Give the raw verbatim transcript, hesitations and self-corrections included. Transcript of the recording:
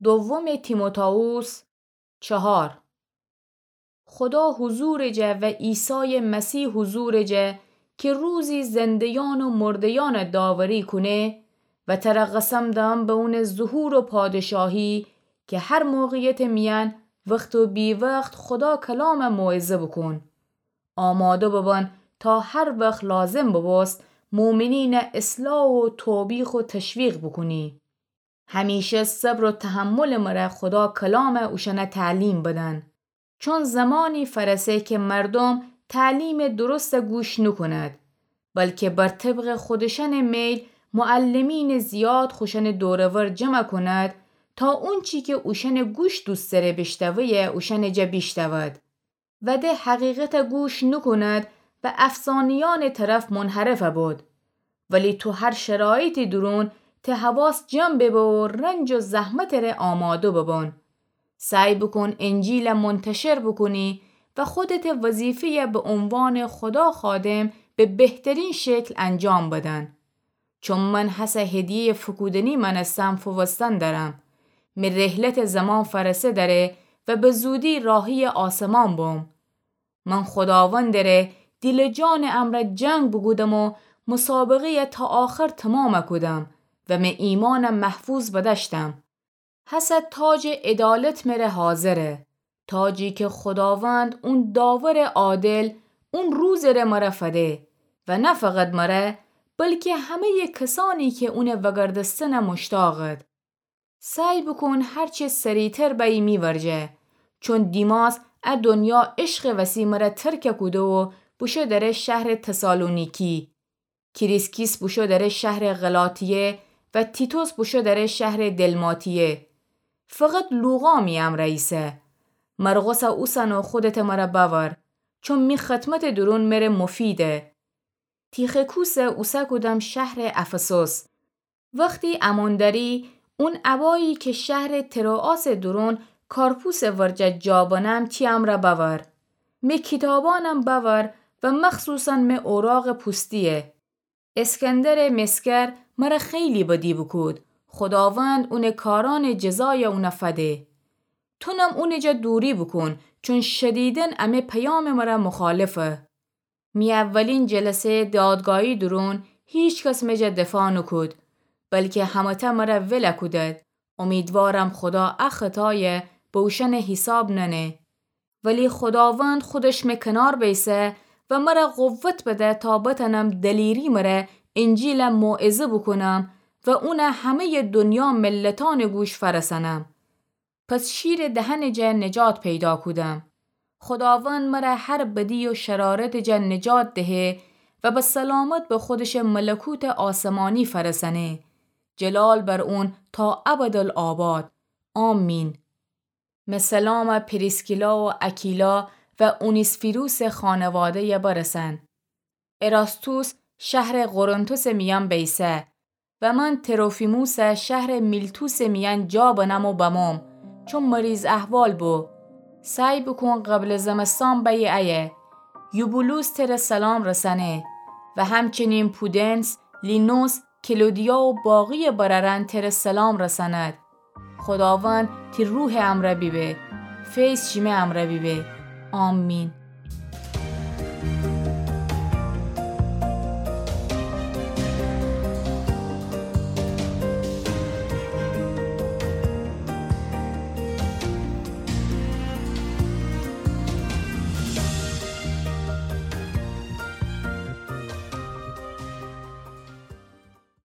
دوم تیموتائوس چهار. خودا حضورٚ جا و عیسایٚ مسیح حضورٚ جا، کی روزی زنده‌یأن و مرده‌یأن داوری کونه، و تر قسم دم به اونٚ ظهور و پادشاهی، کی هر موقعیتٚ میأن وخت و بی‌وخت خودا کلام موعظه بوکون. آماده ببن تا هر وخت لازم ببوست مؤمنین اصلاح و توبیخ و تشویق بوکونی. همیشه صبر و تحملٚ مره خودا کلام اوشأن تعلیم بدن. چون زمانی فرسه کی مردم تعلیمٚ درست گوش نوکوند، بلکی بر طبقٚ خودشأنٚ میل معلمینٚ زیاد خوشأنٚ دور و ور جمع کوند، تا اونچی کی اوشأنٚ گوش دوست دأره بیشتویه اوشأنٚ جا بیشتود. و ده حقیقت گوش نوکوند و افسانه‌یأنٚ طرف منحرف بود. ولی تو هر شرایطی دورون ته حواس جمع ببه و رنج و زحمتٚ ره آماده ببون. سعی بوکون انجیل منتشر بوکونی و خودتٚ وظیفه‌یه به عنوانٚ خودا خادم به بهترین شکل انجام بدن. چون من هسه هدیه‌یٚ فوکودنی مأنستم فووستن درم. می رحلتٚ زمان فرسه دره و به زودی راهی‌یٚ آسمان بوم. من خوداوندٚ ره دیل و جانٚ امرأ جنگ بوکودم و مسابقه‌یه تا آخر تومام کودم و می ایمانه محفوظ بدأشتم. هسه تاجٚ عدالت مره حاضره، تاجی کی خوداوند اون داورٚ عادل اون روزٚ ره مره فده و نه فقط مره، بلکی همه‌یٚ کسأنی کی اونه وگردستنه مشتاقد. سعی بوکون هرچه سریعتر بأیی می ورجه، چون دیماس ا دنیا عشقٚ وسی مره ترک کوده و بوشو دره شهرٚ تسالونیکی. کریسکیس بوشو دره شهرٚ غلاطیه و تیتوس بوشو دره شهرٚ دلماتیه. فقط لوقا می امرأ ایسه. مرقسه اوسن و خودتٚ مره بأور، چون می خدمتٚ دورون مره مفیده. تیخیکوسه اوسه کودم شهرٚ افسوس. وختی امون دأری، اون ابایی کی شهرٚ تروآسٚ دورون کارپوسٚ ورجه جا بنم تی امرأ بأور. می کیتابأنم بأور و مخصوصاً می اوراقٚ پوستیه. اسکندرٚ مسگر مره خیلی بدی بوکود. خوداوند اونٚ کارأنٚ جزایه اونه فده. تونم اونٚ جا دوری بوکون، چون شدیداً امه پیامٚ مره مخالفه. می اولین جلسه دادگاهی دورون هیچکس می جا دفاع نوکود، بلکی همه‌تأ مره ول کودد. امیدوارم خودا ا خطایه به اوشأنٚ حیساب ننه. ولی خوداوند خودش می کنار بیسه و مره قوت بده تا بتأنم دلیری مره انجیله موعظه بوکونم و اونه همه‌یٚ دنیا ملتأنٚ گوش فرسأنم. پس شیرٚ دهنٚ جا نجات پیدا کودم. خوداوند مره هر بدی و شرارتٚ جا نجات دهه و به سلامت به خودشٚ ملکوتٚ آسمانی فرسأنه. جلال بر اون تا ابدالآباد. آمین. می سلامه پریسکیلا و اکیلا و اونیسفیروسٚ خانواده‌یه برسأن. اراستوس شهرٚ قرنتوسٚ میأن بیسه و من تروفیموسه شهرٚ میلتوسٚ میأن جا بنم و بموم، چون مریض‌احوال بو. سعی بوکون قبلٚ زمستان بأیی ایه. یوبولوس تره سلام رسأنه و همچنین پودنس، لینوس، کلودیا و باقی‌یٚ برأرأن تره سلام رسأند. خوداوند تی روحٚ امرأ بیبه. فیض شیمه امرأ بیبه. آمین.